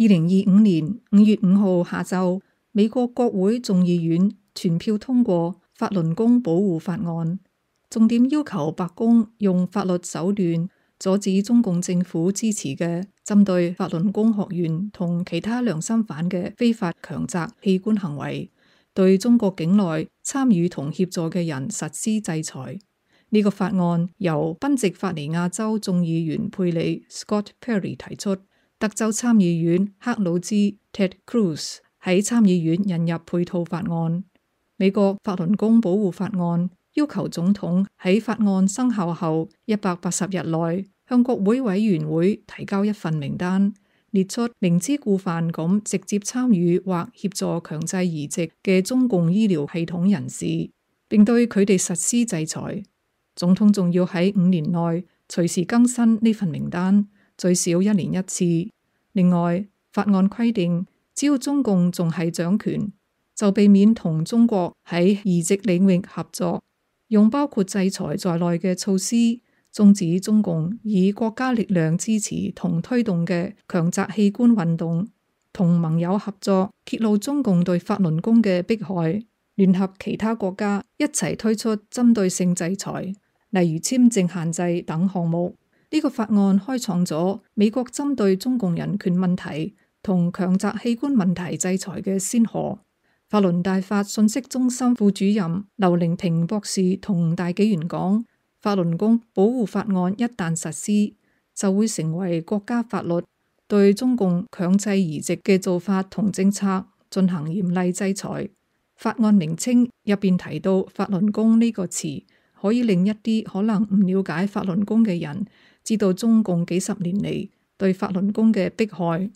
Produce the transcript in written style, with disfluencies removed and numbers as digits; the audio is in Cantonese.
2025年5月5號下晝，美國國會眾議院全票通過法輪功保護法案，重點要求白宮用法律手段阻止中共政府支持嘅針對法輪功學員同其他良心犯嘅非法強摘器官行為，對中國境內參與同協助嘅人實施制裁。呢個法案由賓夕法尼亞州眾議員佩里 Scott Perry 提出，德州參議院克魯茲 Ted Cruz 喺參議院引入配套法案。美國法輪功保護法案要求總統喺法案生效後180日內向國會委員會提交一份名單，列出明知故犯咁直接參與或協助強制移植嘅中共醫療系統人士，並對佢哋實施制裁。總統仲要喺5年內隨時更新呢份名單，最少1年1次。另外，法案規定，只要中共仲係掌權，就避免同中國喺移植領域合作，用包括制裁在內嘅措施，終止中共以國家力量支持同推動嘅強摘器官運動，同盟友合作，揭露中共對法輪功嘅迫害，聯合其他國家一齊推出針對性制裁，例如簽證限制等項目。呢個法案開創咗美國針對中共人權問題同強摘器官問題制裁嘅先河。法輪大法信息中心副主任劉玲平博士同大紀元講，法輪功保護法案一旦實施，就會成為國家法律，對中共強制移植嘅做法同政策進行嚴厲制裁。法案名稱入邊提到法輪功呢個詞，可以令一啲可能唔了解法輪功嘅人知道中共幾十年嚟對法輪功嘅迫害。